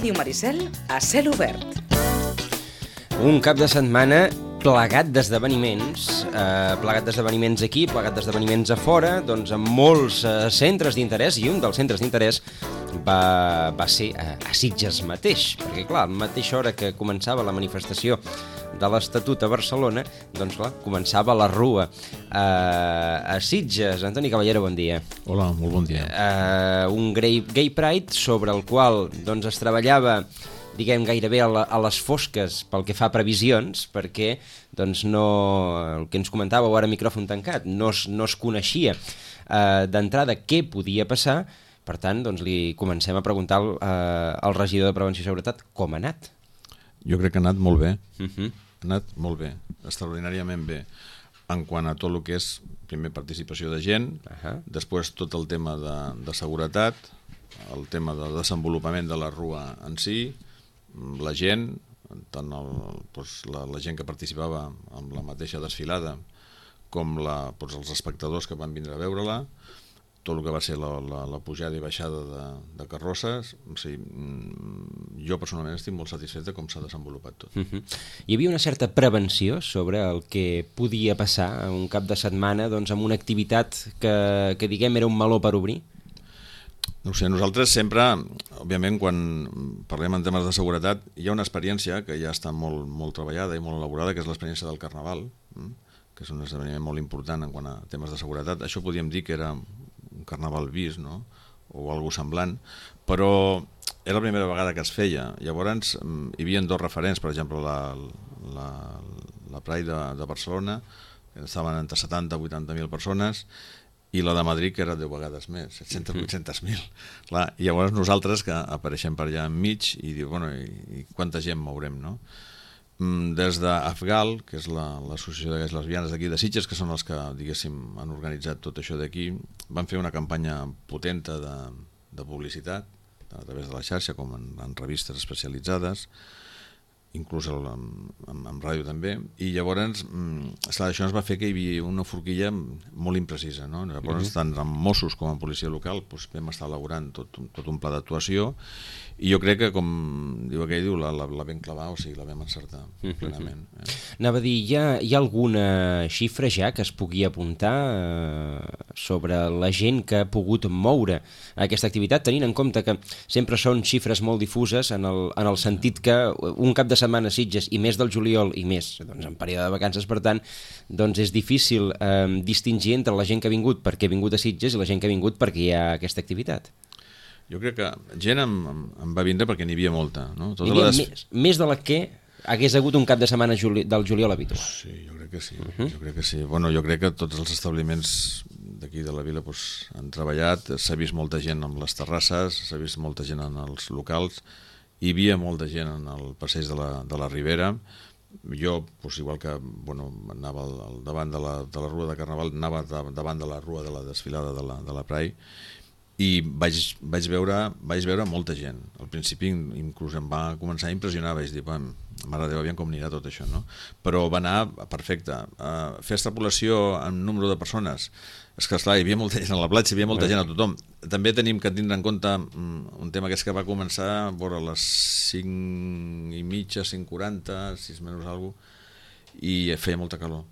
Ràdio Maricel a cel obert. Un cap de setmana plegat d'esdeveniments, aquí, plegat d'esdeveniments a fora, doncs amb molts centres d'interès, i un dels centres d'interès va ser a Sitges mateix, perquè clar, a la mateixa hora que començava la manifestació de l'Estatut a Barcelona, doncs clar, començava la rua a Sitges. Antoni Caballero, bon dia. Hola, molt bon dia. Un Gay Pride sobre el qual doncs es treballava, diguem, gairebé a les fosques pel que fa a previsions, perquè doncs no, el que ens comentàveu ara micròfon tancat, no es coneixia d'entrada què podia passar. Per tant, doncs li comencem a preguntar al regidor de Prevenció i Seguretat com ha anat. Jo crec que ha anat molt bé, ha anat molt bé, extraordinàriament bé, en quant a tot el que és, primer, participació de gent, després tot el tema de seguretat, el tema de desenvolupament de la rua en si, la gent, tant la gent que participava amb la mateixa desfilada com els espectadors que van vindre a veure-la, tot el que va ser la pujada i baixada de carrosses. O sigui, jo personalment estic molt satisfet de com s'ha desenvolupat tot. Hi havia una certa prevenció sobre el que podia passar un cap de setmana doncs, amb una activitat que diguem era un meló per obrir? No sé, nosaltres sempre, òbviament, quan parlem en temes de seguretat, hi ha una experiència que ja està molt treballada i molt elaborada, que és l'experiència del Carnaval, que és un esdeveniment molt important en quant a temes de seguretat. Això podríem dir que era un Carnaval vist, no? O alguna semblant, però era la primera vegada que es feia. Llavors hi havia dos referents, per exemple la Pride de Barcelona, que estaven entre 70 i 80.000 persones, i la de Madrid, que era 10 vegades més, 700.000, 800.000. I llavors nosaltres, que apareixem per allà enmig, i diu, bueno, i quanta gent mourem, no? Des d'Afgal, que és l'associació de gais lesbianes d'aquí de Sitges, que són els que, diguéssim, han organitzat tot això d'aquí, van fer una campanya potenta de publicitat, a través de la xarxa, com en revistes especialitzades, inclús en ràdio també, i llavors això ens va fer que hi havia una forquilla molt imprecisa, no? Llavors tant amb Mossos com amb policia local vam estar elaborant tot un pla d'actuació, i jo crec que, com diu aquell, la vam clavar, o sigui, la vam encertar plenament. Anava a dir, hi ha alguna xifra ja que es pugui apuntar sobre la gent que ha pogut moure aquesta activitat, tenint en compte que sempre són xifres molt difuses en el sentit que un cap de setmana a Sitges, i més del juliol, i més doncs, en període de vacances, per tant, doncs és difícil distingir entre la gent que ha vingut perquè ha vingut a Sitges i la gent que ha vingut perquè hi ha aquesta activitat. Jo crec que gent em va vindre perquè n'hi havia molta, no? N'hi havia més de la que hagués hagut un cap de setmana del juliol habitual. Sí, jo crec que sí. Jo crec que sí. Bueno, jo crec que tots els establiments d'aquí de la vila han treballat, s'ha vist molta gent amb les terrasses, s'ha vist molta gent en els locals, hi havia molta gent en el passeig de la Ribera. Jo, igual que anava al davant de la rua de Carnaval, anava davant de la rua de la desfilada de la Pride, i vaig veure molta gent. Al principi inclús em va començar a impressionar, vaig dir, mare de Déu, aviam com anirà tot això, no? Però va anar perfecte. Fer extrapolació en número de persones, és que esclar, hi havia molta gent a la platja, hi havia molta gent a tothom. També tenim que tindre en compte un tema que és que va començar a les 5:30, 5:40, 6 menys alguna cosa, i feia molta calor.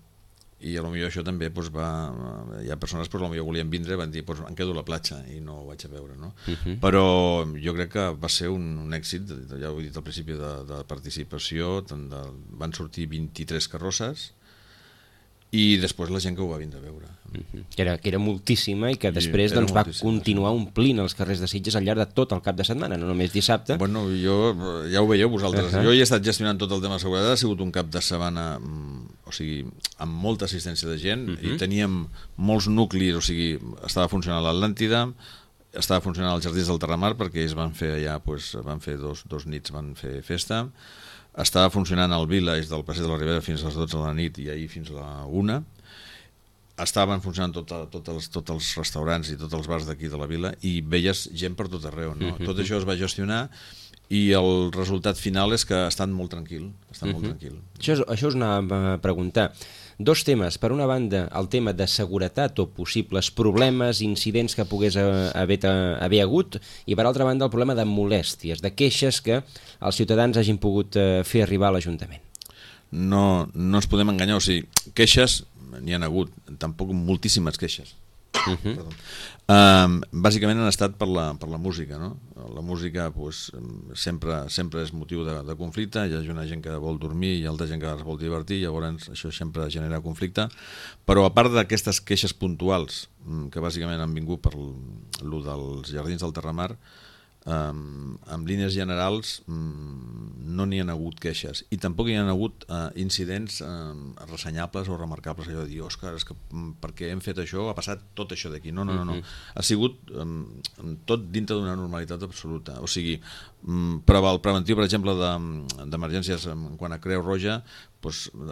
I potser això també hi ha persones que potser volien vindre i van dir em quedo a la platja i no ho vaig a veure, no? Però jo crec que va ser un èxit, ja ho he dit al principi, de participació. Van sortir 23 carrosses i després la gent que ho va vindre a veure, que era moltíssima, i que després va continuar omplint els carrers de Sitges al llarg de tot el cap de setmana, no només dissabte. Bueno, ja ho veieu vosaltres, jo hi he estat gestionant tot el tema de seguretat, ha sigut un cap de setmana, o sigui, amb molta assistència de gent, i teníem molts nuclis, o sigui, estava funcionant l'Atlàntida, estava funcionant els Jardins del Terramar, perquè ells van fer allà, van fer dos nits, van fer festa. Estava funcionant el Village del Passeig de la Ribera fins a les 12 de la nit i ahir fins a la 1. Estaven funcionant tots els restaurants i tots els bars d'aquí de la vila, i veies gent per tot arreu, no? Tot això es va gestionar, i el resultat final és que ha estat molt tranquil. Això us anava a preguntar. Dos temes. Per una banda, el tema de seguretat o possibles problemes, incidents que pogués haver hagut, i per altra banda el problema de molèsties, de queixes que els ciutadans hagin pogut fer arribar a l'Ajuntament. No ens podem enganyar, o sigui, queixes n'hi ha hagut, tampoc moltíssimes queixes. Bàsicament han estat per la música, no? La música sempre és motiu de conflicte, hi ha una gent que vol dormir i altra gent que es vol divertir, llavors això sempre genera conflicte, però a part d'aquestes queixes puntuals que bàsicament han vingut per lo dels Jardins del Terramar, en línies generals no n'hi ha hagut queixes i tampoc hi ha hagut incidents ressenyables o remarcables, allò de dir, Òscar, és que perquè hem fet això ha passat tot això d'aquí. No. Ha sigut tot dintre d'una normalitat absoluta. O sigui, el preventiu, per exemple, d'emergències quan a Creu Roja,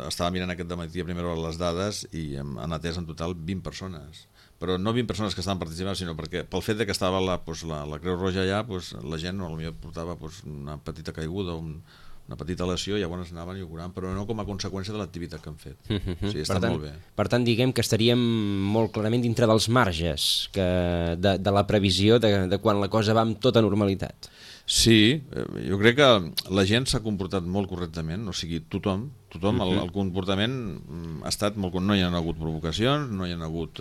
estava mirant aquest dematí a primera hora les dades i han atès en total 20 persones. Però no 20 persones que estaven participant, sinó perquè pel fet que estava la Creu Roja allà, la gent potser portava una petita caiguda, una petita lesió, i llavors anaven i ho curaven, però no com a conseqüència de l'activitat que han fet. O sigui, està molt bé. Per tant, diguem que estaríem molt clarament dintre dels marges de la previsió de quan la cosa va amb tota normalitat. Sí, jo crec que la gent s'ha comportat molt correctament, o sigui, tothom, el comportament ha estat molt... No hi ha hagut provocacions, no hi ha hagut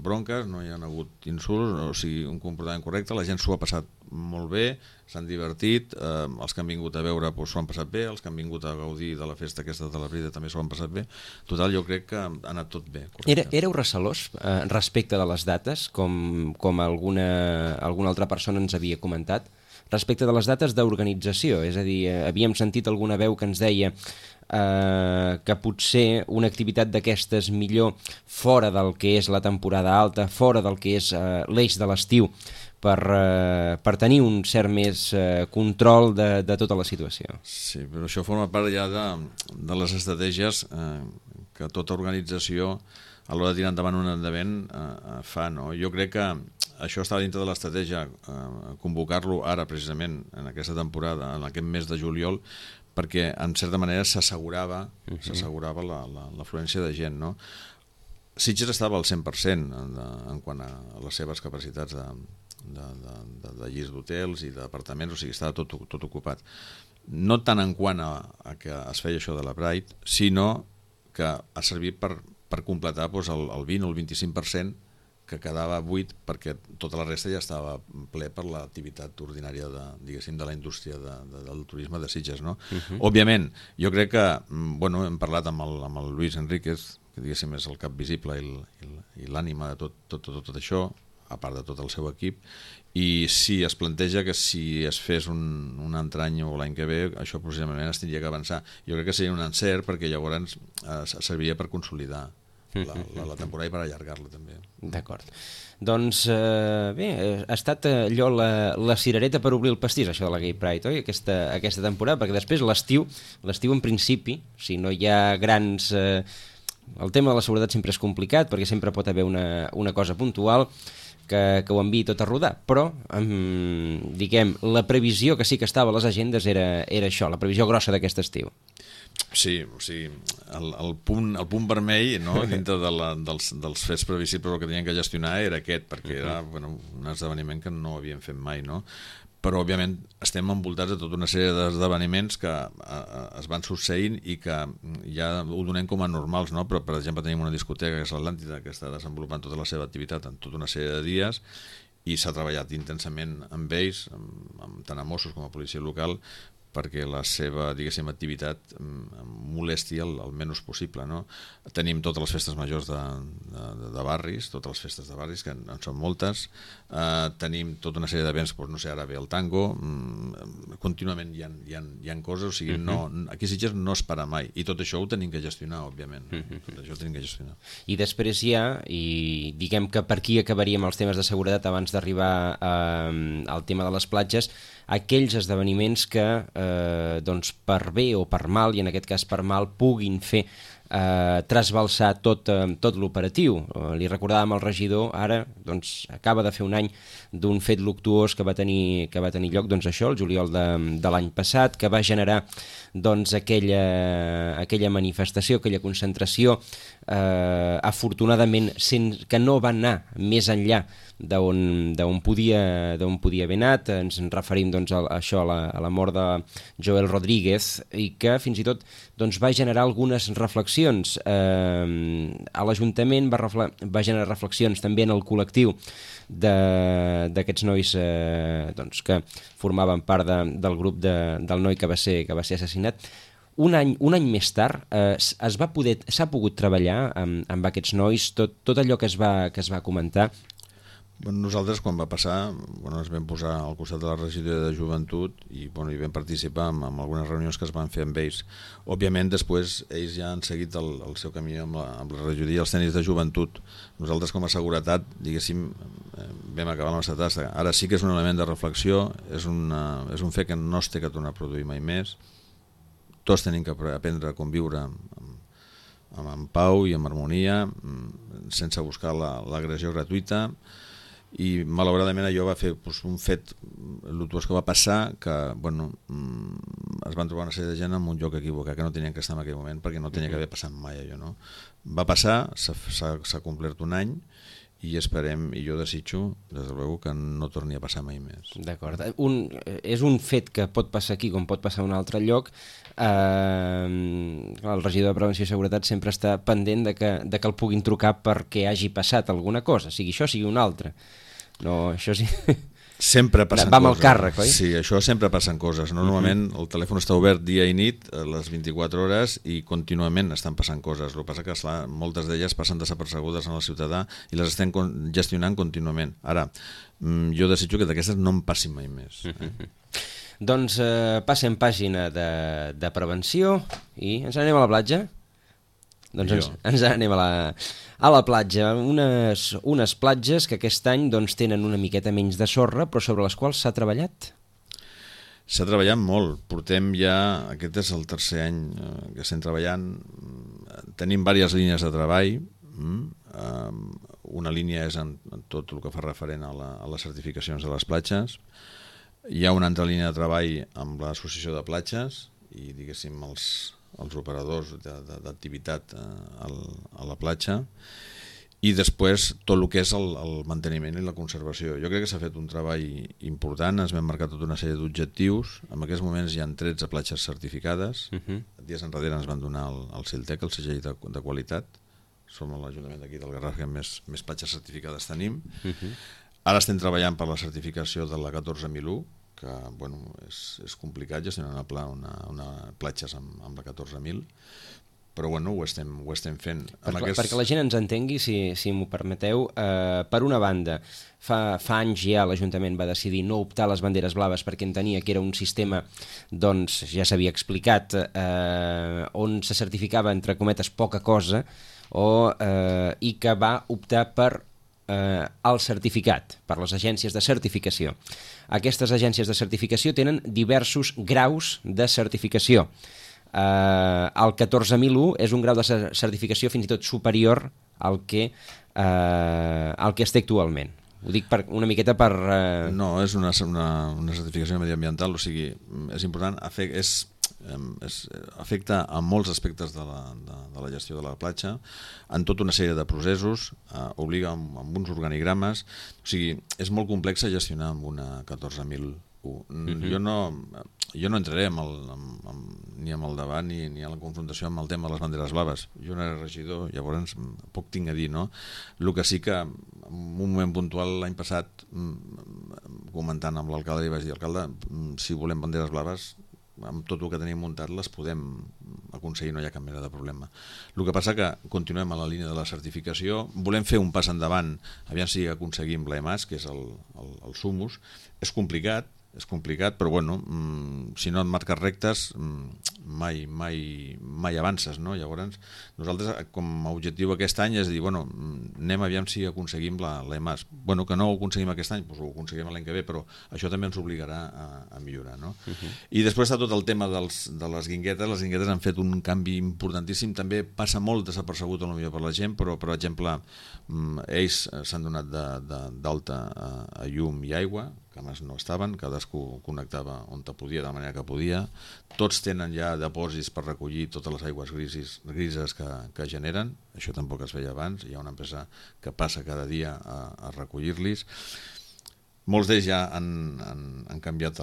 bronques, no hi ha hagut insults, o sigui, un comportament correcte, la gent s'ho ha passat molt bé, s'han divertit, els que han vingut a veure s'ho han passat bé, els que han vingut a gaudir de la festa aquesta de la Brida també s'ho han passat bé. Total, jo crec que ha anat tot bé. Éreu recelós respecte de les dates, com alguna altra persona ens havia comentat? Respecte de les dates d'organització, és a dir, havíem sentit alguna veu que ens deia que potser una activitat d'aquestes millor fora del que és la temporada alta, fora del que és l'eix de l'estiu, per tenir un cert més control de tota la situació. Sí, però això forma part ja de les estratègies que tota organització a l'hora de tirar endavant un endavant fa, no? Jo crec que això està dintre de l'estratègia, convocar-lo ara precisament en aquesta temporada, en aquest mes de juliol, perquè en certa manera s'assegurava l'afluència de gent, no? Sitges estava al 100% en quant a les seves capacitats de llits d'hotels i d'apartaments, o sigui, estava tot ocupat. No tant en quant a que es feia això de la Pride, sinó que ha servit per completar el 20 o el 25% que quedava buit, perquè tota la resta ja estava ple per l'activitat ordinària de la indústria del turisme de Sitges, no? Òbviament, jo crec que hem parlat amb el Luis Enríquez, que diguéssim és el cap visible i l'ànima de tot això, a part de tot el seu equip, i si es planteja que si es fes un altre any o l'any que ve, això possiblement es tindria que avançar. Jo crec que seria un encert, perquè llavors serviria per consolidar la temporada i per allargar-la també. D'acord. Doncs bé, ha estat allò la cirereta per obrir el pastís, això de la Gay Pride, oi? Aquesta temporada, perquè després l'estiu en principi, si no hi ha grans... El tema de la seguretat sempre és complicat, perquè sempre pot haver una cosa puntual que ho enviï tot a rodar, però diguem, la previsió que sí que estava a les agendes era això, la previsió grossa d'aquest estiu. Sí, o sigui, el punt vermell, no, dintre dels fets previsibles, el que tenien que gestionar era aquest, perquè era un esdeveniment que no havíem fet mai, no? Però òbviament estem envoltats de tota una sèrie d'esdeveniments que es van succeint i que ja ho donem com a normals, no? Però per exemple tenim una discoteca que és l'Atlàntida, que està desenvolupant tota la seva activitat en tota una sèrie de dies i s'ha treballat intensament amb ells, tant a Mossos com a policia local, perquè la seva, diguéssim, activitat molesti el menys possible, no? Tenim totes les festes majors de barris, totes les festes de barris, que en són moltes, tenim tota una sèrie d'events, no sé, ara ve el tango, contínuament hi ha coses, o sigui, aquí a Sitges no es para mai, i tot això ho tenim que gestionar, òbviament, tot això ho tenim que gestionar. I després hi ha, i diguem que per aquí acabaríem els temes de seguretat abans d'arribar al tema de les platges, aquells esdeveniments que doncs per bé o per mal, i en aquest cas per mal, puguin fer trasbalsar tot l'operatiu. Li recordàvem al regidor, ara doncs, acaba de fer un any d'un fet luctuós que va tenir lloc, doncs això, el juliol de l'any passat, que va generar doncs, aquella manifestació, aquella concentració, afortunadament que no va anar més enllà d'on podia haver anat. Ens referim doncs, a la mort de Joel Rodríguez, i que fins i tot doncs, va generar algunes reflexions a l'Ajuntament, va generar reflexions també en el col·lectiu d'aquests nois doncs, que formaven part del grup del noi que va ser assassinat. Un any més tard s'ha pogut treballar amb aquests nois, tot allò que es va comentar. Nosaltres, quan va passar, ens vam posar al costat de la regidoria de joventut i vam participar en algunes reunions que es van fer amb ells. Òbviament, després, ells ja han seguit el seu camí amb la regidoria, els tècnics de joventut. Nosaltres, com a seguretat, diguéssim, vam acabar la nostra tasca. Ara sí que és un element de reflexió, és un fet que no es té que tornar a produir mai més. Tots tenim que aprendre a conviure en pau i en harmonia, sense buscar l'agressió gratuïta. I malauradament allò va fer un fet luctuós que va passar, que es van trobar una sèrie de gent en un lloc equivocat, que no tenien que estar en aquell moment, perquè no tenia que haver passat mai allò, no? Va passar, s'ha complert un any, i esperem, i jo desitjo, des de luego, que no torni a passar mai més. D'acord. És un fet que pot passar aquí com pot passar a un altre lloc. El regidor de Prevenció i Seguretat sempre està pendent de que el puguin trucar perquè hagi passat alguna cosa, sigui això, sigui una altra. No, això sí. Sempre passen coses. Va amb el càrrec, oi? Sí, això sempre passen coses. Normalment el telèfon està obert dia i nit, a les 24 hores, i contínuament estan passant coses. El que passa que, esclar, moltes d'elles passen desapercebudes en el ciutadà i les estem gestionant contínuament. Ara, jo desitjo que d'aquestes no en passin mai més. Doncs passem pàgina de prevenció i ens anem a la platja? Doncs ens anem a la platja, unes platges que aquest any doncs, tenen una miqueta menys de sorra, però sobre les quals s'ha treballat? S'ha treballat molt, portem ja, aquest és el tercer any que estem treballant, tenim diverses línies de treball, una línia és en tot el que fa referent a les certificacions de les platges, hi ha una altra línia de treball amb l'associació de platges i, diguéssim, els operadors d'activitat a la platja, i després tot el que és el manteniment i la conservació. Jo crec que s'ha fet un treball important, ens vam marcar tota una sèrie d'objectius. En aquests moments hi ha 13 platges certificades. Dies enrere ens van donar el CILTEC, el segell de qualitat. Som l'Ajuntament d'aquí del Garraf que més platges certificades tenim. Ara estem treballant per la certificació de la 14.001, que és complicat gestionar una platges amb la 14.000, però ho estem fent. Perquè la gent ens entengui, si m'ho permeteu, per una banda, fa anys ja l'Ajuntament va decidir no optar a les banderes blaves perquè entenia que era un sistema, doncs ja s'havia explicat, on se certificava, entre cometes, poca cosa, i que va optar per el certificat, per les agències de certificació. Aquestes agències de certificació tenen diversos graus de certificació. El 14.001 és un grau de certificació fins i tot superior al que es té actualment. Ho dic una miqueta per... No, és una certificació mediambiental, o sigui, és important, afecta a molts aspectes de la gestió de la platja, en tota una sèrie de processos, obliga amb uns organigrames, o sigui, és molt complex gestionar amb una 14.001. Jo no entraré ni amb el debat ni a la confrontació amb el tema de les banderes blaves. Jo no era regidor, llavors poc tinc a dir, no? El que sí que en un moment puntual l'any passat, comentant amb l'alcalde, li vaig dir, alcalde, si volem banderes blaves, amb tot el que tenim muntat les podem aconseguir, no hi ha cap mena de problema. El que passa que continuem a la línia de la certificació, volem fer un pas endavant, aviam si aconseguim l'EMAS, que és el SUMUS. És complicat, però si no et marques rectes mai mai avances, no? Llavors, nosaltres, com a objectiu aquest any és dir, bueno, anem aviam si aconseguim l'EMAS. Bueno, que no ho aconseguim aquest any, doncs ho aconseguim l'any que ve, però això també ens obligarà a millorar, no? I després està tot el tema de les guinguetes. Les guinguetes han fet un canvi importantíssim, també passa molt desapercebut potser per la gent, però, per exemple, ells s'han donat d'alta a llum i aigua, que abans no estaven, cadascú connectava on podia, de la manera que podia. Tots tenen ja depòsits per recollir totes les aigües grises que generen, això tampoc es feia abans, hi ha una empresa que passa cada dia a recollir-los. Molts d'ells ja han canviat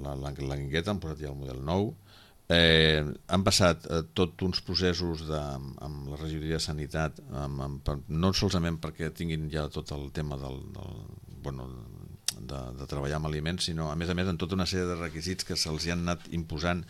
la guingueta, han posat ja el model nou, han passat tots uns processos amb la regidoria de Sanitat, no solament perquè tinguin ja tot el tema de treballar amb aliments, sinó a més en tota una sèrie de requisits que se'ls han anat imposant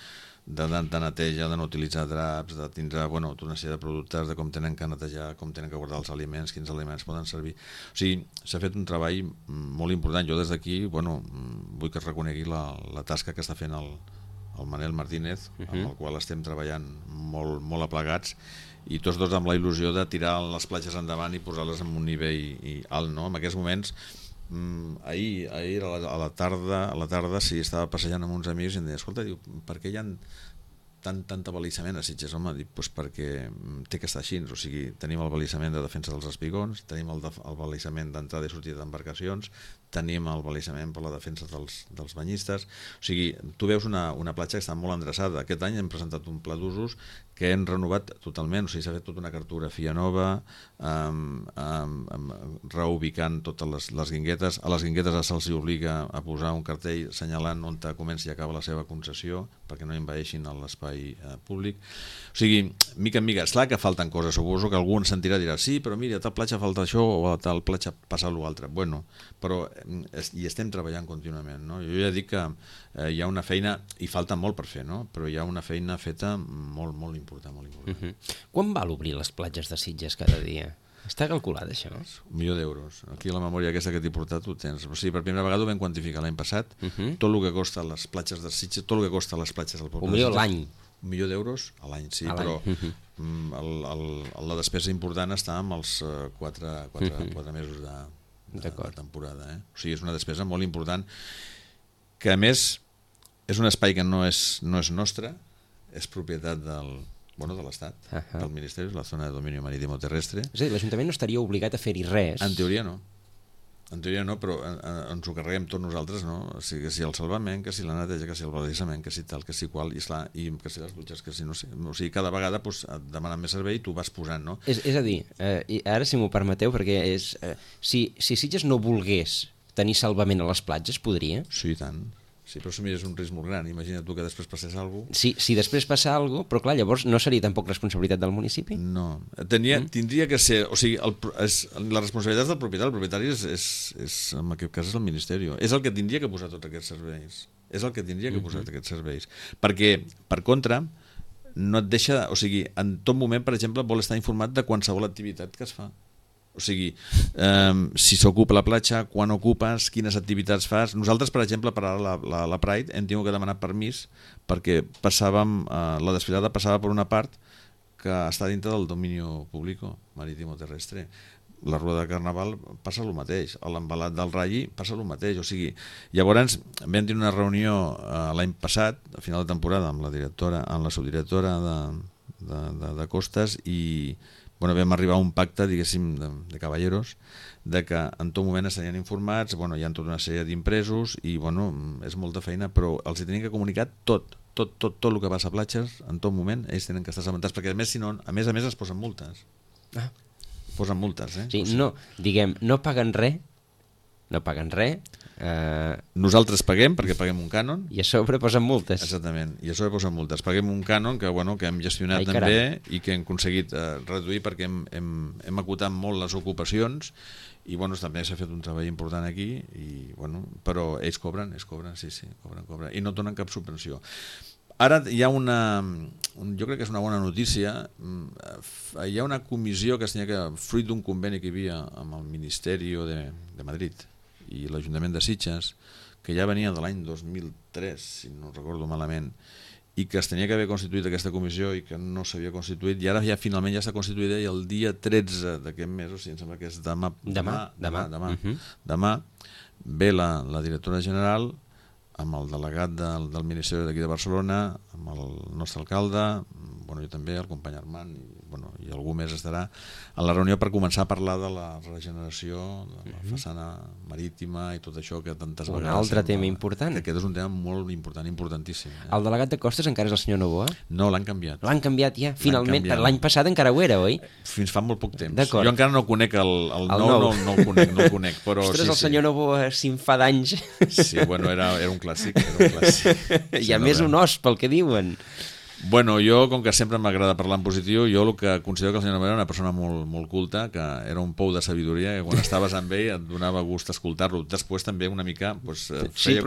de neteja, de no utilitzar draps, de tindre tota una sèrie de productes, de com tenen que netejar, com tenen que guardar els aliments, quins aliments poden servir. O sigui, s'ha fet un treball molt important. Jo des d'aquí vull que es reconegui la tasca que està fent el Manel Martínez, amb el qual estem treballant molt aplegats, i tots dos amb la il·lusió de tirar les platges endavant i posar-les en un nivell alt, no? En aquests moments, ahir a la tarda sí, estava passejant amb uns amics i em deia, escolta, per què hi ha tant abalissament a Sitges? Home, dic, doncs perquè té que estar així, o sigui, tenim el balissament de defensa dels espigons, tenim el balissament d'entrada i sortida d'embarcacions, tenim el balissament per la defensa dels banyistes, o sigui, tu veus una platja que està molt endreçada. Aquest any hem presentat un pla d'usos que hem renovat totalment, o sigui, s'ha fet tota una cartografia nova, reubicant totes les guinguetes. A les guinguetes se'ls obliga a posar un cartell assenyalant on comença i acaba la seva concessió, perquè no envaeixin l'espai públic. O sigui, mica en mica, és clar que falten coses, suposo que algú ens sentirà i dirà, sí, però mira, a tal platja falta això o a tal platja passa l'altre. Bueno, però hi estem treballant contínuament, no? Jo ja dic que hi ha una feina, i falta molt per fer, no? Però hi ha una feina feta molt important. Quan val obrir les platges de Sitges cada dia? Està calculat això? 1 milió d'euros. Aquí a la memòria aquesta que t'he portat ho tens. O sigui, per primera vegada ho vam quantificar l'any passat, tot el que costa les platges de Sitges, tot el que costa les platges del poble de Sitges. 1 milió l'any? 1 milió d'euros a l'any, sí, però la despesa important està amb els 4 mesos de temporada. O sigui, és una despesa molt important, que a més és un espai que no és nostre, és propietat de l'Estat, del Ministeri, la zona de dominio marítimo terrestre. És a dir, l'Ajuntament no estaria obligat a fer-hi res? En teoria no, però ens ho carreguem tots nosaltres, no? O sigui, que si el salvament, que si la neteja, que si el balissament, que si tal, que si qual, i que si les dutxes, que si no sé. O sigui, cada vegada et demanen més servei i tu vas posant, no? És a dir, ara si m'ho permeteu, perquè si Sitges no volgués tenir salvament a les platges, podria? Sí, i tant. Sí, però això és un risc molt gran. Imagina't tu que després passés alguna cosa. Sí, si després passa alguna cosa, però clar, llavors no seria tampoc responsabilitat del municipi? No, tindria que ser, o sigui, la responsabilitat del propietari. El propietari en aquest cas és el Ministeri. És el que tindria que posar tots aquests serveis. Perquè, per contra, no et deixa, o sigui, en tot moment, per exemple, vol estar informat de qualsevol activitat que es fa. O sigui, si s'ocupa la platja, quan ocupes, quines activitats fas. Nosaltres, per exemple, per ara la Pride hem tingut que demanar permís perquè la desfilada passava per una part que està dintre del dominio público marítimo terrestre. La rueda de Carnaval passa el mateix, l'embalat del Ralli passa el mateix. O sigui, llavors vam tenir una reunió l'any passat, a final de temporada, amb la subdirectora de Costes, i vam arribar a un pacte, diguéssim, de cavalleros, de que en tot moment estarien informats, hi ha tota una sèrie d'impresos i és molta feina, però els hi tenien que comunicar tot el que passa a platges, en tot moment ells tenen que estar assabentats, perquè a més es posen multes. Posen multes, Sí, no paguen res, nosaltres paguem perquè paguem un cànon i a sobre posen multes. Exactament, i a sobre posen multes. Paguem un cànon que hem gestionat també i que hem aconseguit reduir perquè hem acotat molt les ocupacions i també s'ha fet un treball important aquí, però ells cobren, sí, cobren i no donen cap subvenció. Ara hi ha jo crec que és una bona notícia, hi ha una comissió que fruit d'un conveni que hi havia amb el Ministeri de Madrid i l'Ajuntament de Sitges, que ja venia de l'any 2003, si no recordo malament, i que es tenia que haver constituït aquesta comissió i que no s'havia constituït, i ara ja finalment ja està constituïda, i el dia 13 d'aquest mes, o sigui, em sembla que és demà ve la directora general amb el delegat del Ministeri d'aquí de Barcelona, amb el nostre alcalde, jo també, el company Armand, i algú més estarà en la reunió per començar a parlar de la regeneració de la façana marítima i tot això que tantes vegades... Un altre tema important. Aquest és un tema molt important, importantíssim. El delegat de Costes encara és el senyor Novoa? No, l'han canviat. L'han canviat ja, finalment. L'any passat encara ho era, oi? Fins fa molt poc temps. Jo encara no conec el nou, no el conec. Però ostres, el senyor Novoa, si en fa d'anys... Sí, era un clàssic. I a més un os, pel que diuen. Jo, com que sempre m'agrada parlar en positiu, jo el que considero que el senyor Novoa era una persona molt culta, que era un pou de sabidoria, que quan estaves amb ell et donava gust escoltar-lo. Després també una mica feia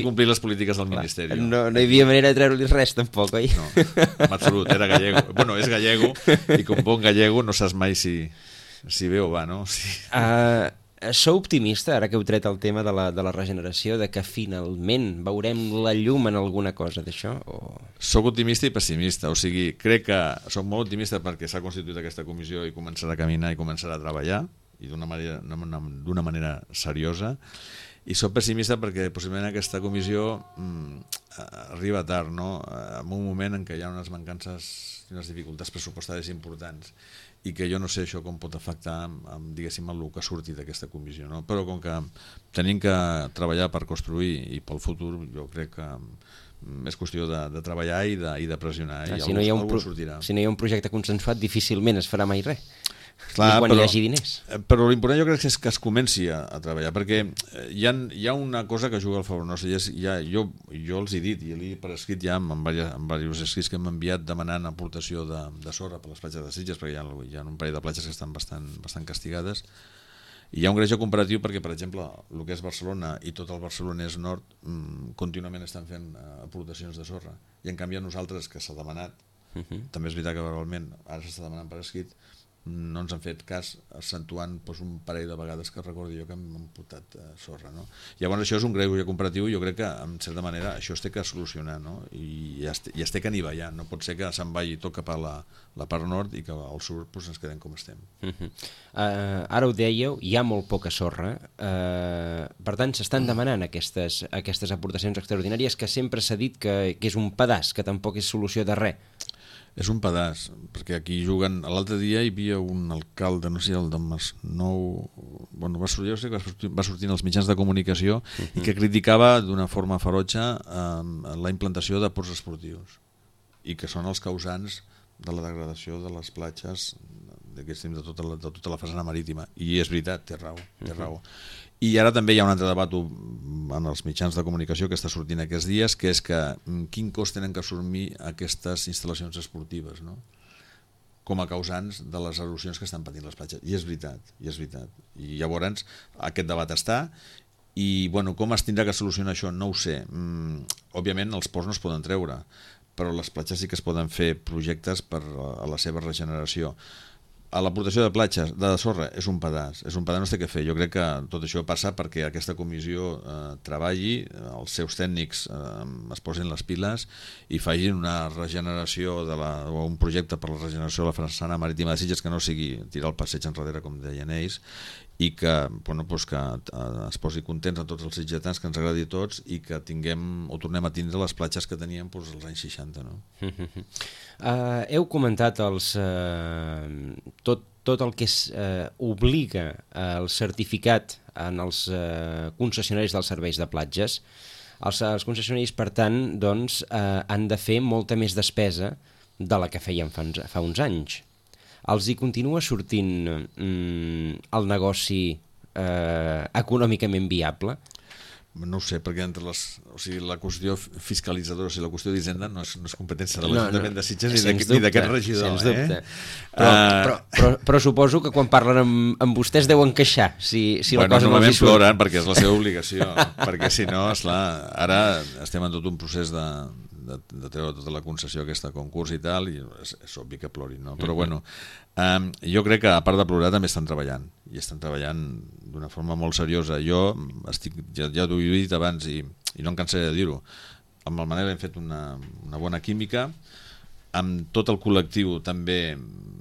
complir les polítiques del Ministeri. No hi havia manera de treure-li res tampoc, oi? No, en absolut, era gallego. És gallego, i com bon gallego no saps mai si ve o va, no? Sou optimista, ara que heu tret el tema de la regeneració, de que finalment veurem la llum en alguna cosa d'això? Soc optimista i pessimista, o sigui, crec que soc molt optimista perquè s'ha constituït aquesta comissió i començarà a caminar i començarà a treballar, i d'una manera seriosa, i soc pessimista perquè possiblement aquesta comissió arriba tard, no? En un moment en què hi ha unes mancances i unes dificultats pressupostàries importants, i que jo no sé això com pot afectar diguéssim el que surti d'aquesta comissió, no? Però com que tenim que treballar per construir i pel futur, jo crec que és qüestió de treballar i de pressionar, i algú sortirà. Si no hi ha un projecte consensuat, difícilment es farà mai res. Clar, quan hi hagi diners. Però l'important jo crec que és que es comenci a treballar, perquè hi ha una cosa que juga al favor nostre, i jo els he dit, i l'he per escrit ja en diversos escrits que m'han enviat demanant aportació de sorra per les platges de Sitges, perquè hi ha un parell de platges que estan bastant castigades, i hi ha un greuge comparatiu perquè, per exemple, el que és Barcelona i tot el Barcelonès Nord contínuament estan fent aportacions de sorra, i en canvi a nosaltres, que s'ha demanat, també és veritat que verbalment ara s'està demanant per escrit, no ens han fet cas, accentuant un parell de vegades que recordo jo que hem portat sorra, no? Llavors això és un greuge comparatiu, i jo crec que en certa manera això es té que solucionar, no? I es té que anivellar, no pot ser que se'n vagi tot cap a la part nord i que al sud ens quedem com estem. Ara ho dèieu, hi ha molt poca sorra, per tant s'estan demanant aquestes aportacions extraordinàries que sempre s'ha dit que és un pedaç, que tampoc és solució de res. És un pedaç, perquè aquí juguen... L'altre dia hi havia un alcalde, no sé, el de Masnou... va sortir als mitjans de comunicació i que criticava d'una forma ferotge la implantació de ports esportius, i que són els causants de la degradació de les platges de tota la façana marítima. I és veritat, té raó. I ara també hi ha un altre debat en els mitjans de comunicació que està sortint aquests dies, que és que quin cost tenen que assumir aquestes instal·lacions esportives, no? Com a causants de les erosions que estan patint les platges. I és veritat. I llavors aquest debat està, i com es tindrà que solucionar això no ho sé. Òbviament els ports no es poden treure, però les platges sí que es poden fer projectes per a la seva regeneració. A l'aportació de platges, de sorra, és un pedaç, no es té què fer. Jo crec que tot això passa perquè aquesta comissió treballi, els seus tècnics es posin les piles i facin una regeneració o un projecte per la regeneració de la façana marítima de Sitges que no sigui tirar el passeig enrere, com deien ells, i que es posi contents a tots els sitgetans, que ens agradi a tots, i que tornem a tindre les platges que teníem als anys 60, no? Heu comentat tot el que obliga el certificat en els concessionaris dels serveis de platges. Els concessionaris, per tant, han de fer molta més despesa de la que feien fa uns anys. Els hi continua sortint el negoci econòmicament viable? No ho sé, perquè la qüestió fiscalitzadora, la qüestió d'Hisenda no és competència de l'Ajuntament de Sitges ni d'aquest regidor. Sens dubte. Però suposo que quan parlen amb vostès deuen queixar si la cosa no els hi surt. Normalment ploren perquè és la seva obligació, perquè si no, esclar, ara estem en tot un procés de treure tota la concessió aquesta concurs i tal, i és obvi que plorin, no? Però jo crec que a part de plorar també estan treballant, i estan treballant d'una forma molt seriosa. Jo ja t'ho he dit abans i no em cansaré de dir-ho, amb el Manel hem fet una bona química, amb tot el col·lectiu també,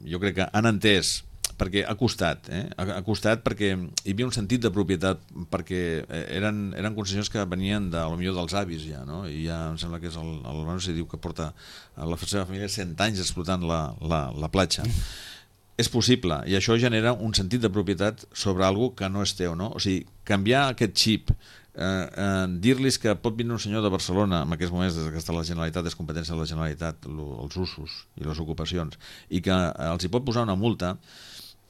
jo crec que han entès, perquè ha costat perquè hi havia un sentit de propietat, perquè eren concessions que venien potser dels avis ja, no? I ja em sembla que és el Manu si diu que porta la seva família 100 anys explotant la platja. És possible, i això genera un sentit de propietat sobre alguna que no és teu, no? O sigui, canviar aquest xip, dir-los que pot vindre un senyor de Barcelona en aquests moments, des que està la Generalitat, és competència de la Generalitat, els usos i les ocupacions, i que els hi pot posar una multa,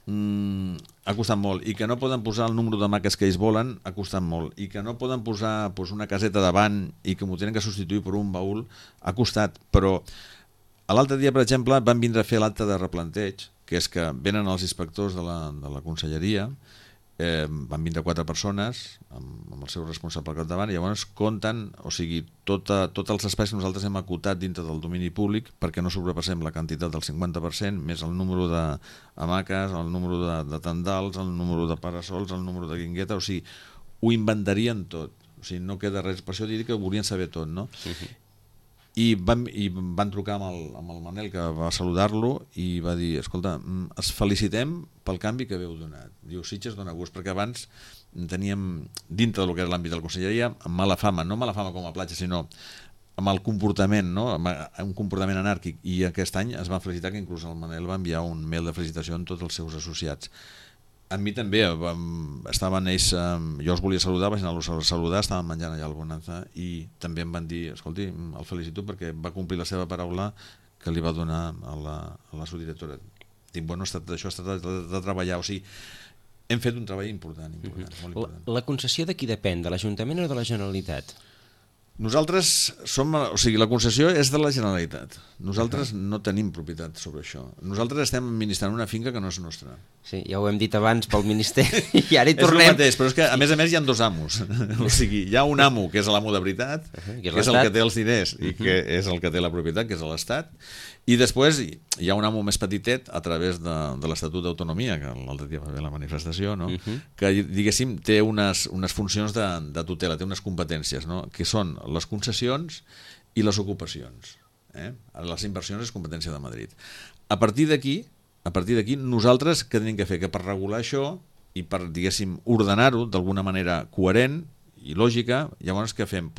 ha costat molt, i que no poden posar el número de maques que ells volen, ha costat molt, i que no poden posar una caseta davant i que m'ho tenen que substituir per un baúl, ha costat. Però l'altre dia, per exemple, van vindre a fer l'acte de replanteig, que és que venen els inspectors de la conselleria, van vindre 4 persones amb el seu responsable al capdavant, i llavors compten, o sigui, tots els espais que nosaltres hem acotat dintre del domini públic perquè no sobrepassem la quantitat del 50%, més el número d'hamaques, el número de tendals, el número de parasols, el número de guingueta, o sigui, ho inventarien tot, o sigui, no queda res, per això dic que ho volien saber tot, no? I van trucar amb el Manel, que va saludar-lo, i va dir, escolta, els felicitem pel canvi que haveu donat. Diu, Sitges dona gust, perquè abans teníem, dintre del que era l'àmbit de la conselleria, mala fama, no mala fama com a platja, sinó amb el comportament, no? Amb un comportament anàrquic, i aquest any es va felicitar, que inclús el Manel va enviar un mail de felicitació a tots els seus associats. A mi també, estaven ells, jo els volia saludar, vaig anar-los a saludar, estaven menjant allà al Bonanza, i també em van dir, escolti, el felicito perquè va complir la seva paraula que li va donar a la subdirectora. Dic, bueno, això ha estat de treballar, o sigui, hem fet un treball important, molt important. La concessió de qui depèn, de l'Ajuntament o de la Generalitat? Nosaltres som, o sigui, la concessió és de la Generalitat. Nosaltres no tenim propietat sobre això. Nosaltres estem administrant una finca que no és nostra. Sí, ja ho hem dit abans pel Ministeri i ara hi tornem. És el mateix, però és que a més hi ha 2 amos. O sigui, hi ha un amo que és l'amo de veritat, que és el que té els diners i que és el que té la propietat, que és l'Estat, i després hi ha un amo més petitet a través de l'Estatut d'Autonomia, que l'altre dia va haver la manifestació, no? Que, diguéssim, té unes funcions de tutela, té unes competències, no? Que són les concessions i les ocupacions. Les inversions és competència de Madrid. A partir d'aquí, nosaltres què tenim que fer? Que per regular això i per, diguéssim, ordenar-ho d'alguna manera coherent i lògica, llavors què fem?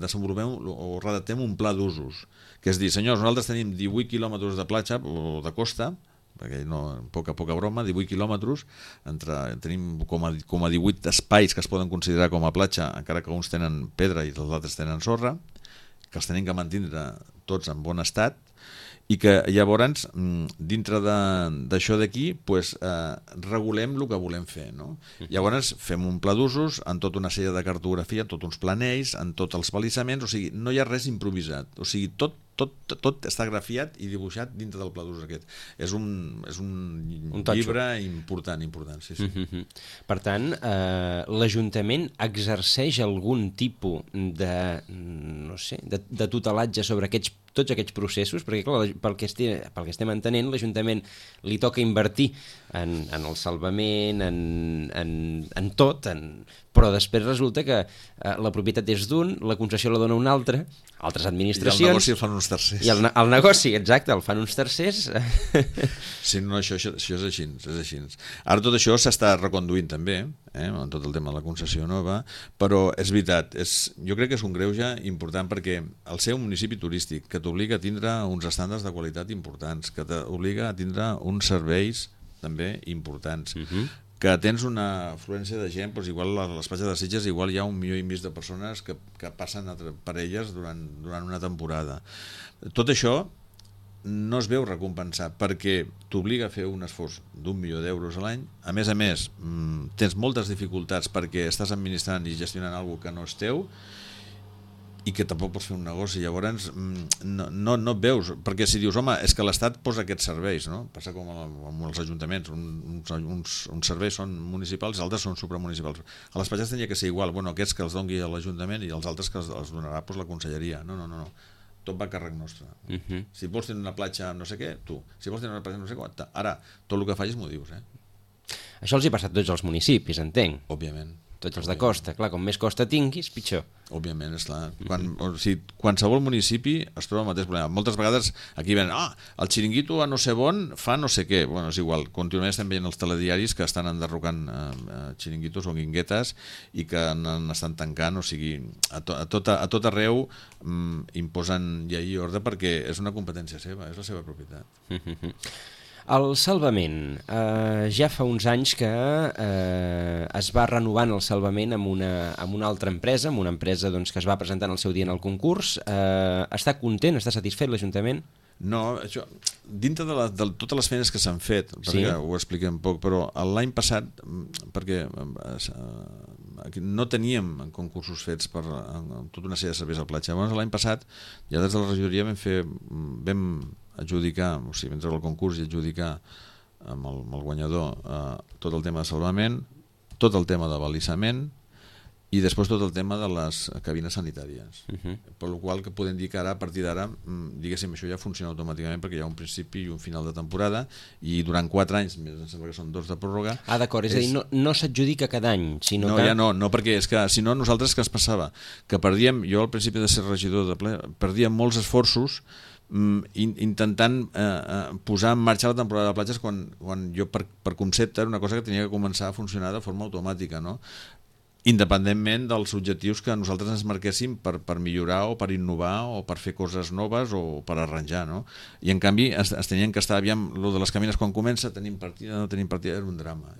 Desenvolupem o redactem un pla d'usos, que és dir, senyors, nosaltres tenim 18 quilòmetres de platja o de costa, perquè poca broma, 18 quilòmetres, tenim com a 18 espais que es poden considerar com a platja, encara que uns tenen pedra i els altres tenen sorra, que els tenim que mantindre tots en bon estat, i que llavors, dintre d'això d'aquí, regulem el que volem fer, no? Llavors fem un pla d'usos en tota una sèrie de cartografia, en tots uns planells, en tots els balissaments, o sigui, no hi ha res improvisat, o sigui, tot està grafiat i dibuixat dintre del pla d'usos aquest. És un llibre important, sí. Per tant, l'Ajuntament exerceix algun tipus de tutelatge sobre tots aquests processos, perquè clar, pel que estem entenent, l'Ajuntament li toca invertir en el salvament, en tot, però després resulta que la propietat és d'un, la concessió la dona un altre, altres administracions... I el negoci el fan uns tercers. I el negoci, exacte, el fan uns tercers. Sí, no, això és així. Ara tot això s'està reconduint també, en tot el tema de la concessió nova, però és veritat, jo crec que és un greuge important perquè el ser un municipi turístic que t'obliga a tindre uns estàndards de qualitat importants, que t'obliga a tindre uns serveis també importants, que tens una afluència de gent, doncs igual a les platges de Sitges igual hi ha 1,5 milió de persones que passen per elles durant una temporada. Tot això no es veu recompensat perquè t'obliga a fer un esforç d'1 milió d'euros a l'any. A més, tens moltes dificultats perquè estàs administrant i gestionant alguna que no és teu i que tampoc pots fer un negoci. Llavors no et veus, perquè si dius, home, és que l'Estat posa aquests serveis, no? Passa com amb els ajuntaments, uns serveis són municipals i altres són supramunicipals. A les platges tenia que ser igual, bueno, aquests que els doni l'Ajuntament i els altres que els donarà la conselleria. No. Tot va a càrrec nostre. Si vols tenir una platja no sé què, tu. Si vols tenir una platja no sé què, ara, tot el que facis m'ho dius. Això els hi passa a tots els municipis, entenc. Òbviament. Tots els de costa, clar, com més costa tinguis, pitjor. Òbviament, esclar. Qualsevol municipi es troba el mateix problema. Moltes vegades aquí ven, el xiringuito a no sé on fa no sé què. Bueno, és igual, continuament estem veient els telediaris que estan enderrocant xiringuitos o guinguetes i que n'estan tancant, o sigui, a tot arreu imposen llei i ordre perquè és una competència seva, és la seva propietat. El salvament, ja fa uns anys que es va renovant el salvament amb una altra empresa, amb una empresa doncs, que es va presentar en el seu dia en el concurs. Està content, està satisfet l'Ajuntament? No, això, dintre de totes les feines que s'han fet, perquè ho expliquem poc, però l'any passat, perquè no teníem concursos fets per tota una sèrie de serveis a platja, llavors l'any passat ja des de la regidoria vam adjudicar, o sigui, vam treure el concurs i adjudicar amb el guanyador tot el tema de salvament, tot el tema de balissament i després tot el tema de les cabines sanitàries. Per la qual que podem dir que ara, a partir d'ara, diguéssim, això ja funciona automàticament perquè hi ha un principi i un final de temporada i durant 4 anys, més em sembla que són 2 de pròrroga. D'acord, és a dir, no s'adjudica cada any, sinó que... Ja no, perquè és que si no nosaltres què ens passava? Que perdíem, jo al principi de ser regidor de ple, perdíem molts esforços intentant posar en marxa la temporada de platges quan jo per concepte era una cosa que tenia que començar a funcionar de forma automàtica, no? Independentment dels objectius que nosaltres ens marquéssim per millorar o per innovar o per fer coses noves o per arranjar, no? I en canvi es tenien que estar, aviam, lo de les cabines quan comença, tenim partida, no tenim partida, era un drama.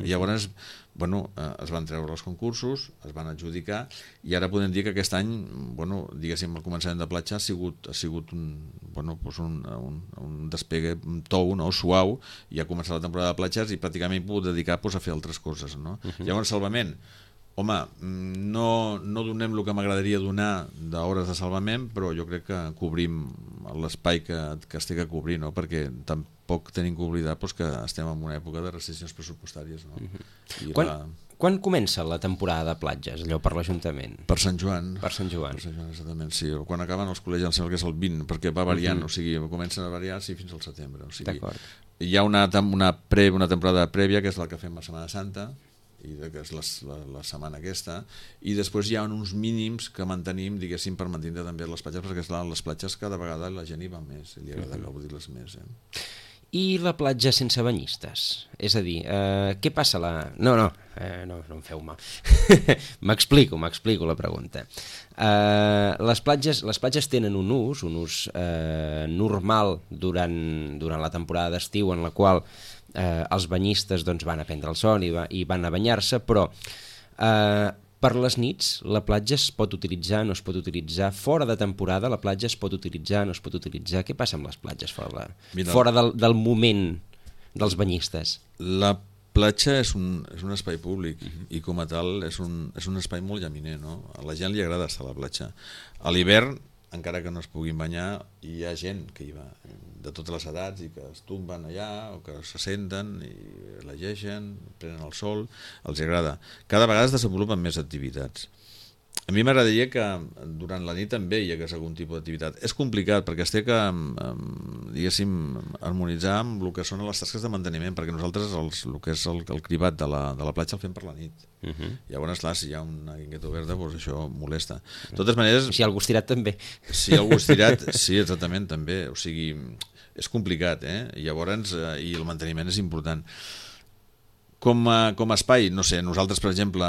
I llavors, bueno, es van treure els concursos, es van adjudicar i ara podem dir que aquest any, bueno, diguéssim, el començament de platja ha sigut un despegue, un tou, no? Suau, i ha començat la temporada de platges i pràcticament he pogut dedicar a fer altres coses, no? Llavors, salvament, home, no donem el que m'agradaria donar d'hores de salvament, però jo crec que cobrim l'espai que es té que cobrir, no? Perquè tampoc tenim que oblidar que estem en una època de restriccions pressupostàries, no? Quan comença la temporada de platges, allò per l'Ajuntament? Per Sant Joan. Per Sant Joan. Per Sant Joan, exactament, sí. Quan acaben els col·legis, em sembla que és el 20, perquè va variant, o sigui, comencen a variar fins al setembre. O sigui, hi ha una temporada prèvia, que és la que fem a Setmana Santa, que és la setmana aquesta, i després hi ha uns mínims que mantenim, diguéssim, per mantenir també les platges, perquè esclar, les platges cada vegada la gent hi va més, li agrada gaudir-les més. I la platja sense banyistes? És a dir, què passa No em feu mal. M'explico la pregunta. Les platges tenen un ús normal durant la temporada d'estiu, en la qual els banyistes van a prendre el sol i van a banyar-se, però per les nits la platja es pot utilitzar, no es pot utilitzar, fora de temporada la platja es pot utilitzar, no es pot utilitzar. Què passa amb les platges fora del moment dels banyistes? La platja és un espai públic i com a tal és un espai molt llaminer, no? A la gent li agrada estar a la platja. A l'hivern, encara que no es puguin banyar, hi ha gent que hi va de totes les edats i que es tomben allà o que se senten i llegeixen, prenen el sol, els agrada. Cada vegada es desenvolupen més activitats. A mi m'agradaria que durant la nit també hi hagués algun tipus d'activitat. És complicat perquè es té que, diguéssim, harmonitzar amb el que són les tasques de manteniment, perquè nosaltres el que és el cribat de la platja el fem per la nit. Llavors, clar, si hi ha una guingueta verda, doncs això molesta. De totes maneres... Si hi ha algú estirat, també. Si hi ha algú estirat, sí, exactament, també. O sigui, és complicat, Llavors, i el manteniment és important. Com a espai, no sé, nosaltres, per exemple,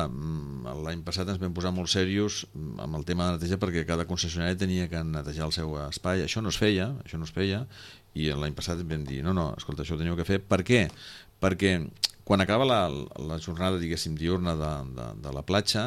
l'any passat ens vam posar molt serios amb el tema de neteja perquè cada concessionari tenia que netejar el seu espai. Això no es feia, i l'any passat vam dir, no, escolta, això ho teniu que fer. Per què? Perquè quan acaba la jornada, diguéssim, diurna de la platja,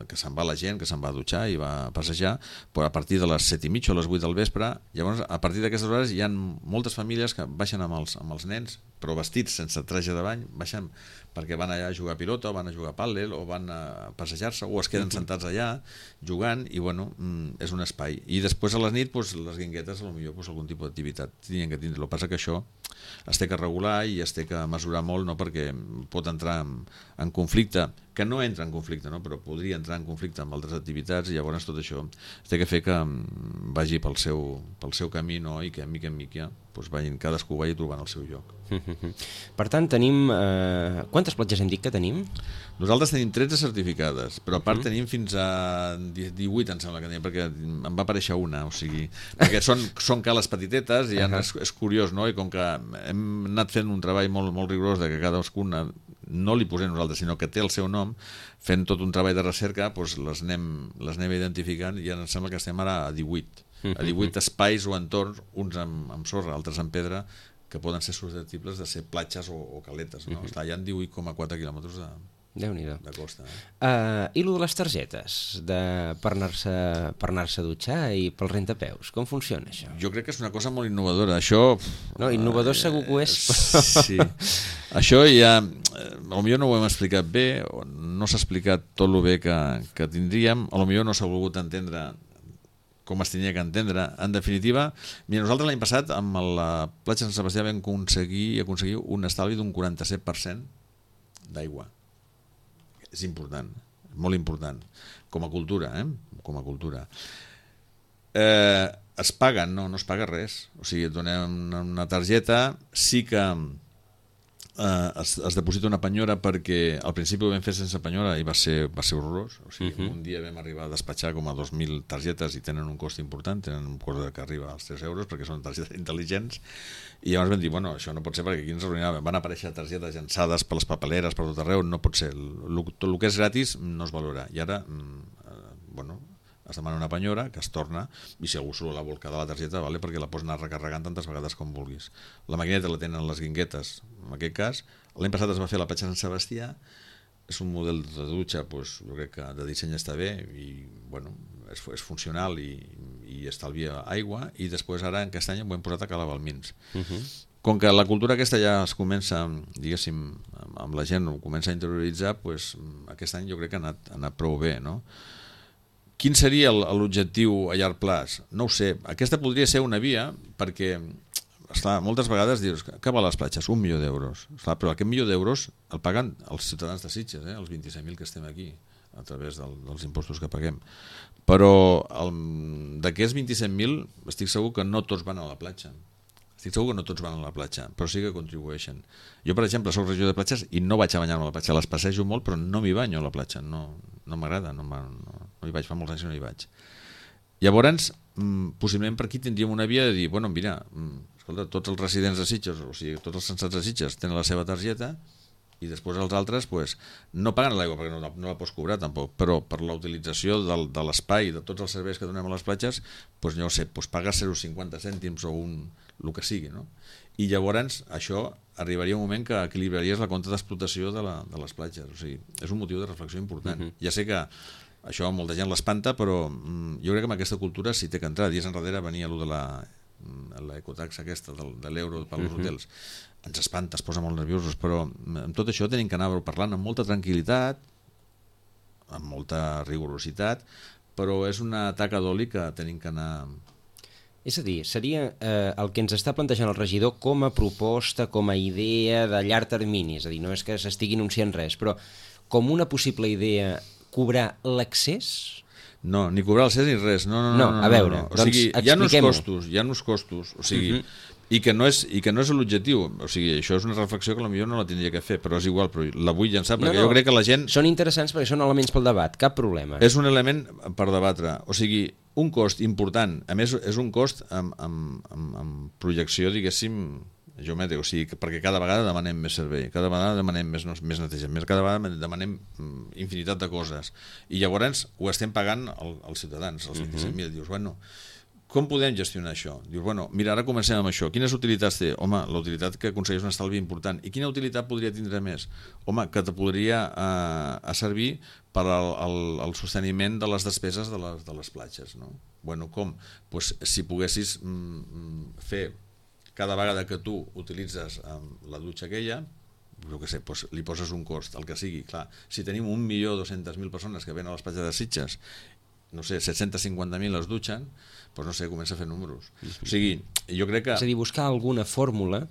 que se'n va la gent, que se'n va a dutxar i va a passejar, però a partir de les 7:30 o les 8 del vespre, llavors a partir d'aquestes hores hi ha moltes famílies que baixen amb els nens, però vestits sense traje de bany, baixen perquè van allà a jugar a pilota, o van a jugar a pàdel, o van a passejar-se, o es queden sentats allà jugant, i bueno, és un espai. I després a la nit, les guinguetes, potser algun tipus d'activitat tenien que tindre. El que passa que això es té que regular i es té que mesurar molt, no? Perquè pot entrar en conflicte, que no entra en conflicte, no? Però podria entrar en conflicte amb altres activitats, i llavors tot això es té que fer que vagi pel seu camí, no? I que mica en mica doncs cadascú vagi trobant el seu lloc. Per tant, tenim... Quantes platges hem dit que tenim? Nosaltres tenim 13 certificades, però a part tenim fins a 18, em sembla que tenim, perquè em va aparèixer una, o sigui, perquè són cales petitetes i és curiós, no? I com que hem anat fent un treball molt rigorós de que cadascuna no li posem nosaltres, sinó que té el seu nom, fent tot un treball de recerca, doncs les anem identificant, i em sembla que estem ara a 18. A 18 espais o entorns, uns amb sorra, altres amb pedra, que poden ser susceptibles de ser platges o caletes, no? Hi ha 18,4 quilòmetres de costa. I el de les targetes per anar-se a dutxar i pel rentapeus, com funciona això? Jo crec que és una cosa molt innovadora. Això... No, innovador segur que ho és. Sí. Això ja... Potser no ho hem explicat bé, no s'ha explicat tot el bé que tindríem, potser no s'ha volgut entendre com es tenia que entendre. En definitiva, nosaltres l'any passat amb la platja de Sant Sebastià vam aconseguir un estalvi d'un 47% d'aigua. És important, molt important, com a cultura, com a cultura. Es paguen? No es paga res. O sigui, et donem una targeta, sí que es deposita una penyora, perquè al principi ho vam fer sense penyora i va ser horrorós. O sigui, un dia vam arribar a despatxar com a 2.000 targetes i tenen un cost important, tenen un cost que arriba als 3 euros perquè són targetes intel·ligents, i llavors vam dir, bueno, això no pot ser perquè aquí ens arruïnàvem. Van aparèixer targetes llançades per les papeleres per tot arreu, no pot ser. Tot el que és gratis no es valora. I ara, es demana una penyora que es torna, i si algú surt la vol quedar la targeta, vale, perquè la pots anar recarregant tantes vegades com vulguis. La maquineta la tenen les guinguetes, en aquest cas. L'any passat es va fer a la platja de Sant Sebastià, és un model de dutxa, doncs, jo crec que de disseny està bé, i és funcional i estalvia aigua, i després ara aquest any ho hem posat a Cala Balmins. Com que la cultura aquesta ja es comença, diguéssim, amb la gent ho comença a interioritzar, doncs aquest any jo crec que ha anat prou bé, no? Quin seria l'objectiu a llarg plaç? No ho sé. Aquesta podria ser una via, perquè, esclar, moltes vegades dius, què val les platges? 1 milió d'euros. Esclar, però aquest milió d'euros el paguen els ciutadans de Sitges, els 26.000 que estem aquí, a través dels impostos que paguem. Però d'aquests 27.000 estic segur que no tots van a la platja. Però sí que contribueixen. Jo, per exemple, soc regidor de platges i no vaig a banyar-me a la platja. Les passejo molt, però no m'hi banyo a la platja. No m'agrada, no hi vaig, fa molts anys que no hi vaig. Llavors, possiblement per aquí tindríem una via de dir, mira, escolta, tots els residents de Sitges, o sigui, tots els censats de Sitges tenen la seva targeta, i després els altres no paguen l'aigua perquè no la pots cobrar tampoc, però per la utilització de l'espai, de tots els serveis que donem a les platges, no ho sé, pagues 0,50 cèntims o el que sigui, no? I llavors això arribaria un moment que equilibraries la compta d'explotació de les platges. O sigui, és un motiu de reflexió important. Ja sé que això molta gent l'espanta, però jo crec que amb aquesta cultura s'hi té que entrar. Dies enrere venia allò de l'ecotaxa aquesta, de l'euro per als hotels. Ens espanta, es posa molt nerviosos, però amb tot això tenim que anar parlant amb molta tranquil·litat, amb molta rigorositat, però és una taca d'oli que tenim que anar... És a dir, seria el que ens està plantejant el regidor com a proposta, com a idea de llarg termini, és a dir, no és que s'estigui anunciant res, però com una possible idea, cobrar l'accés? No, ni cobrar l'accés ni res, no, a veure, o sigui, hi ha uns costos, o sigui, i que no és l'objectiu, o sigui, això és una reflexió que potser no la tindria que fer, però és igual, però la vull llançar, perquè jo crec que la gent... Són interessants perquè són elements pel debat, cap problema. És un element per debatre, o sigui, un cost important, a més és un cost amb projecció, diguéssim, geomètrica, o sigui, perquè cada vegada demanem més servei, cada vegada demanem més netejament, cada vegada demanem infinitat de coses, i llavors ho estem pagant els ciutadans, els 27.000, dius, com podem gestionar això? Dius, mira, ara comencem amb això. Quines utilitats té? Home, la utilitat que aconsegueix un estalvi important. I quina utilitat podria tindre més? Home, que te podria servir per al sosteniment de les despeses de les platges, no? Com? Si poguessis fer cada vegada que tu utilitzes la dutxa aquella, jo què sé, li poses un cost, el que sigui. Clar, si tenim 1.200.000 persones que venen a les platges de Sitges, no sé, 750.000 es dutxen, doncs no sé, comença a fer números. O sigui, jo crec que... És a dir, buscar alguna fórmula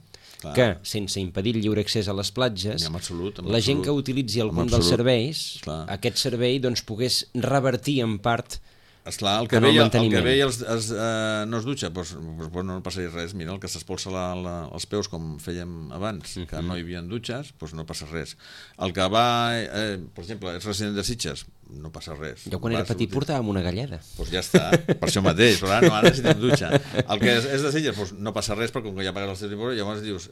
que, sense impedir el lliure accés a les platges, en absolut, la gent que utilitzi algun dels serveis, aquest servei doncs, pogués revertir en part esclar, el que ve i no es dutxa, doncs no passaria res. Mira, el que s'espolsa els peus com fèiem abans, que no hi havia dutxes, doncs no passa res. El que va, per exemple, és resident de Sitges, no passa res. Jo quan era petit portàvem una galleda. Doncs ja està, per això mateix, però ara necessitem dutxa. El que és de Sitges, doncs no passa res, perquè com que ja pagues el teu tipus, llavors dius,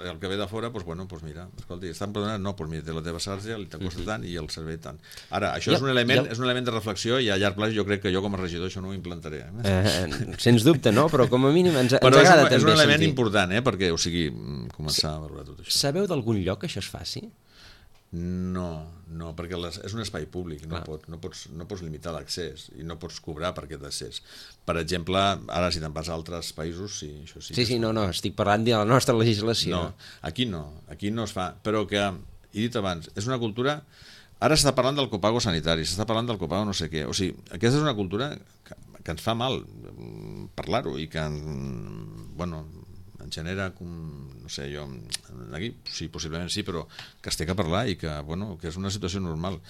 el que ve de fora, doncs bueno, doncs mira, escolta, estan perdonats? No, doncs mira, té la teva sarja, li t'acosta tant i el servei tant. Ara, això és un element de reflexió i a llarg plaç jo crec que jo com a regidor això no ho implantaré. Sens dubte, no? Però com a mínim ens agrada també sentir. És un element important, perquè, o sigui, començar a valorar tot això. Sabeu d'algun lloc que això es faci? No, perquè és un espai públic, no pots limitar l'accés i no pots cobrar per aquest accés. Per exemple, ara si te'n vas a altres països, sí, això sí. Sí, no, estic parlant de la nostra legislació. No, aquí no es fa, però que, he dit abans, és una cultura... Ara s'està parlant del copago sanitari, s'està parlant del copago no sé què, o sigui, aquesta és una cultura que ens fa mal parlar-ho i que, bueno, en genera, no sé, jo, aquí, sí, possiblement sí, però que es té que parlar i que, bueno, que és una situació normal.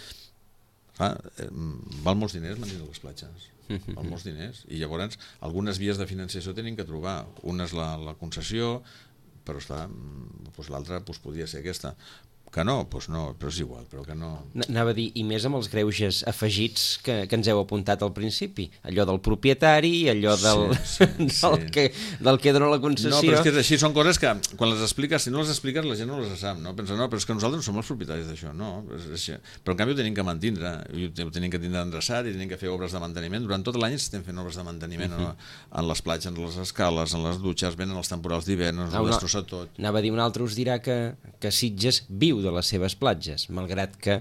Val molts diners mantenir les platges, val molts diners, i llavors algunes vies de financiació tenen que trobar. Una és la concessió, però està, l'altra podria ser aquesta. Que no, doncs no, però és igual, però que no... Anava a dir, i més amb els greuges afegits que ens heu apuntat al principi, allò del propietari, allò del que dona la concessió... No, però és que és així, són coses que quan les expliques, si no les expliques la gent no les sap, no? Pensa, no, però és que nosaltres no som els propietaris d'això, no, però en canvi ho tenim que mantindre, ho tenim que tindre endreçat i tenim que fer obres de manteniment, durant tot l'any estem fent obres de manteniment en les platges, en les escales, en les dutxes, venen els temporals d'hivern, ens ho destrossa tot. Anava a dir, un altre us dirà que Sitges viu de les seves platges, malgrat que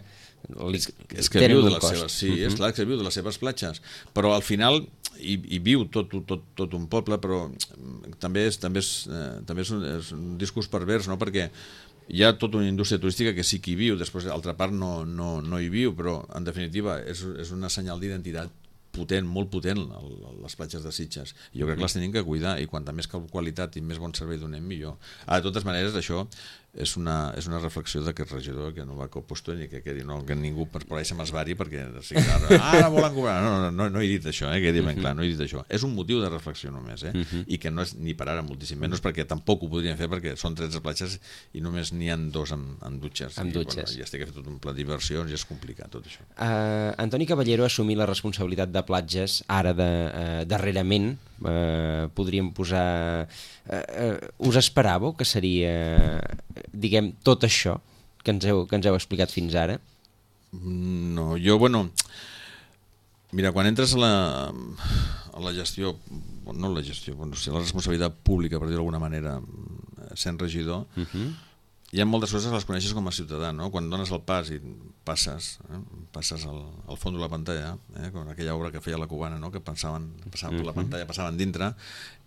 tenen un cost. Sí, és clar que viu de les seves platges, però al final hi viu tot un poble, però també és un discurs pervers, no? Perquè hi ha tota una indústria turística que sí que hi viu, després l'altra part no hi viu, però en definitiva és una senyal d'identitat potent, molt potent, les platges de Sitges. Jo crec que les tenim que cuidar i quanta més qualitat i més bon servei donem, millor. De totes maneres, això és una reflexió d'aquest regidor que no va a puesto ni que ningú per por ahí se m'esvari perquè ara volen cobrar. No he dit això, que quedi ben clar, no he dit això. És un motiu de reflexió només, i que no és ni per ara moltíssim menys, perquè tampoc ho podrien fer perquè són 13 platges i només n'hi ha 2 amb dutxes. I es té que fer tot un pla de diversions i és complicat tot això. Antoni Caballero ha assumit la responsabilitat de platges ara darrerament, podríem posar... us esperàveu que seria, diguem, tot això que ens heu explicat fins ara? No, jo, mira, quan entres a la gestió, no la gestió, la responsabilitat pública, per dir-ho d'alguna manera, sent regidor, hi ha moltes coses que les coneixes com a ciutadà, no? Quan dones el pas i passes al fons de la pantalla, com aquella obra que feia la Cubana, no? Que passaven per la pantalla, passaven dintre,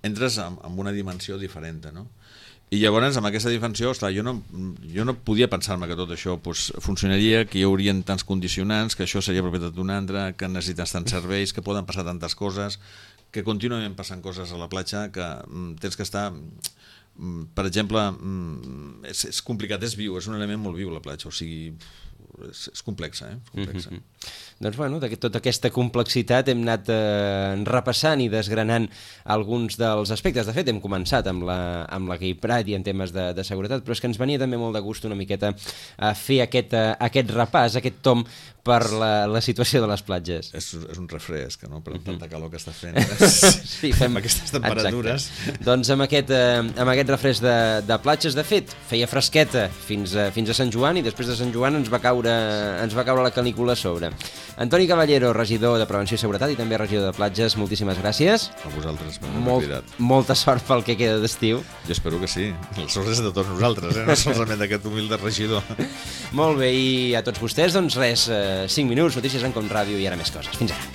entres amb una dimensió diferent, no? I llavors, amb aquesta dimensió, esclar, jo no podia pensar-me que tot això funcionaria, que hi haurien tants condicionants, que això seria propietat d'un altre, que necessites tants serveis, que poden passar tantes coses, que contínuament passen coses a la platja, que tens que estar... Per exemple, és complicat, és viu, és un element molt viu la platja, o sigui, és complexa, complexa. Doncs bueno, tota aquesta complexitat hem anat repassant i desgranant alguns dels aspectes. De fet, hem començat amb la Gay Pride i en temes de seguretat, però és que ens venia també molt de gust una miqueta a fer aquest repàs, aquest tom per la situació de les platges. És un refresc, no? Per tanta calor que està fent. Sí, fem aquestes temperatures. Exacte. Doncs amb aquest refresc de platges, de fet, feia fresqueta fins a Sant Joan i després de Sant Joan ens va caure la canícula a sobre. Antoni Caballero, regidor de Prevenció i Seguretat i també regidor de platges, moltíssimes gràcies. A vosaltres per haver cridat. Molta sort pel que queda d'estiu. Jo espero que sí. La sort és de tots nosaltres, no solament d'aquest humilde regidor. Molt bé, i a tots vostès, doncs res, 5 minuts, notícies en Com Ràdio i ara més coses. Fins ara.